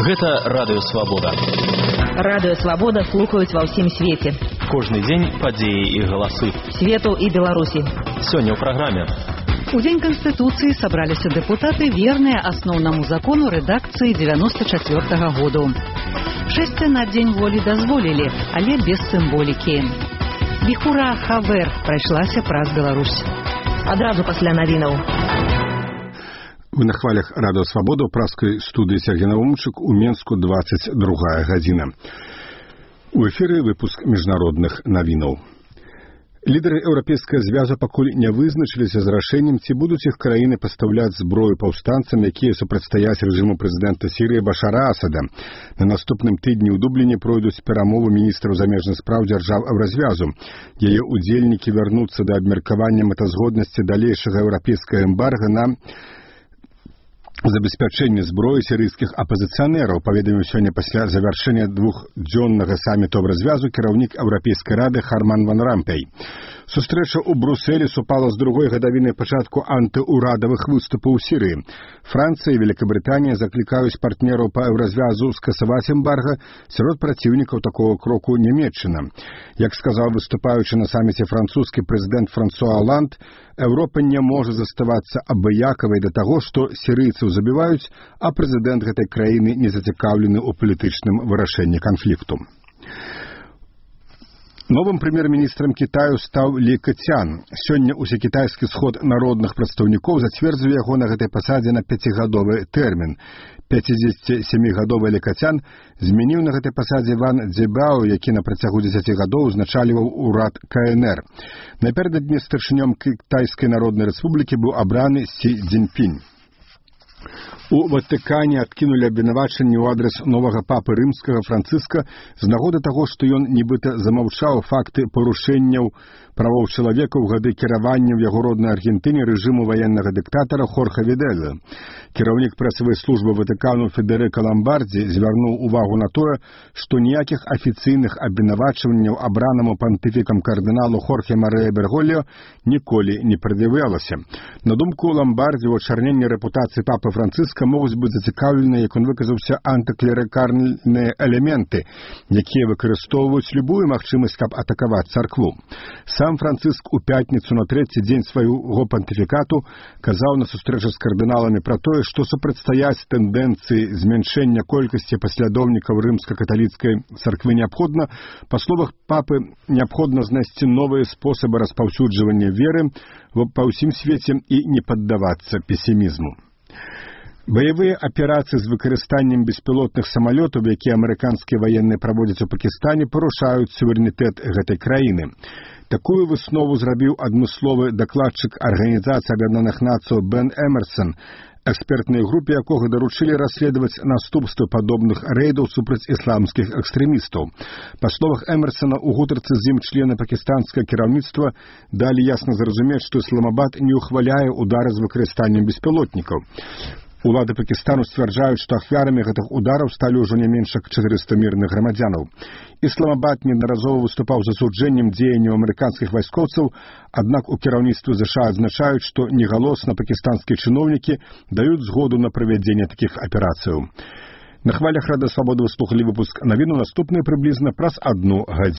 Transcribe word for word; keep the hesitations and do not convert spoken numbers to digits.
Гэта Радыё Свабода. Радыё Свабода слухаюць ва ўсім свеце. Кожны дзень падзеі і галасы. Свету і Беларусі. Сёння ў праграме. У Дзень Канстытуцыі сабраліся дэпутаты, верныя асноўнаму закону рэдакцыі дзевяносто чацвёртага году. Шэсце на Дзень волі дазволілі, але без сімволікі. Віхура Хавер прайшлася праз Беларусь. Адразу пасля навінаў. Вы на хвалях Радыё Свабода ў праскай студыі Сергей Наумчык у Менску двадцать другая гадзіна. У эфіры выпуск міжнародных навінаў. Лідары Еўрапейскага звязу пакуль не вызначыліся з рашэннем, ці будуць іх краіны пастаўляць зброю паўстанцам, якія супрацьстаяць рэжыму прэзідэнта Сірыі Башара Асада. На наступным тыдні ў Дубліне пройдуць перамовы міністраў замежных спраў дзяржаў Еўразвязу. Яе удзельнікі вярнуцца да абмеркавання мэтазгоднасці далейшага еўрапейскага эмбарга на забеспячэнне зброі сірыйскіх апазіцыянераў, паведаміў сёння пасля завяршэння двухдзённага саміту Еўразвязу кіраўнік Еўрапейскай рады Харман ван Рампей. Сустрэча ў Брусэлі супала з другой гадавінай пачатку антыурадавых выступаў у Сірыі. Францыя і Великабрытанія заклікаюць партнераў па Еўразвязу скасаваць эмбарга, сярод праціўнікаў такого кроку Нямецчына. Як сказаў выступаючы на саміце французскі прэзідэнт Франсуа Оланд, Еўропа не можа заставацца абыякавай да таго, што сірыйцаў забіваюць, а прэзідэнт гэтай краіны не зацікаўлены ў палітычным вырашэнні канфлікту. Новым прэм'ер-міністрам Кітаю стаў Лі Кэцян. Сёння ўсекітайскі сход народных прадстаўнікоў зацвердзіў яго на гэтай пасадзе на пяцігадовы тэрмін. пяцідзесяцісямігадовы Лі Кэцян змяніў на гэтай пасадзе Ван Цзебао, які на працягу дзесяці гадоў узначальваў урад ка эн эр. Напярэдадні старшынём Кітайскай Народнай Рэспублікі быў абраны Сі Цзіньпінь. У Ватыкане адкінулі абвінавачанні ў адрас новага папы рымскага Францыска з нагоды таго, што ён нібыта замаўчаў факты парушэнняў правоў чалавека ў гады кіравання ў яго роднай Аргентыне рэжыму ваеннага дыктатара Хорхе Відэля. Кіраўнік прэсавай службы Ватыкану Федэрыка Ламбардзі звярнуў увагу на тое, што ніякіх афіцыйных абвінавачванняў абранаму пантыфікам кардыналу Хорхе Марыя Берголліо ніколі не прад'яўлялася. На думку Ламбардзі, у ачарненні рэпутацыі папы Францыска могуць быць зацікаўлены, як он выказаўся, антыклерыкальныя элементы, якія выкарыстоўваюць любую магчымасць, каб атакаваць царкву. Сам Францыск у пятніцу на трэці дзень свайго пантыфікату казаў на сустрэчы з кардыналамі пра тое, што супрацьстаяць тэндэнцыі змяншэння колькасці паслядоўнікаў рымска-каталіцкай царквы неабходна. Па словах папы, неабходна знайсці новыя спосабы распаўсюджвання веры па ўсім свеце і не паддавацца песімізму. Баявыя аперацыі з выкарыстаннем беспілотных самалётаў, якія амерыканскія ваенныя праводзяць у Пакістане, парушаюць суверэнітэт гэтай краіны. Такую выснову зрабіў адмысловы дакладчык Арганізацыі Аб'яднаных Нацыяў Бен Эмерсон, экспертнай групе якога даручылі расследаваць наступствы падобных рэйдаў супраць ісламскіх экстрэмістаў. Па словах Эмерсона, у гутарцы з ім члены пакістанскага кіраўніцтва далі ясна зразумець, што Ісламабад не ўхваляе удары з выкарыстаннем беспілотнікаў. Улады Пакістану сцвярджаюць, што ахвярамі гэтых удараў сталі ўжо не менш як чатырыста мірных грамадзянаў. Ісламабад неаднаразова выступаў з асуджэннем дзеянняў амерыканскіх вайскоўцаў, аднак у кіраўніцтве ЗША адзначаюць, што негалосна пакістанскія чыноўнікі даюць згоду на правядзенне такіх аперацыяў. На хвалях Радыё Свабода вы слухалі выпуск навіну, наступны прыблізна праз адну гадзіну.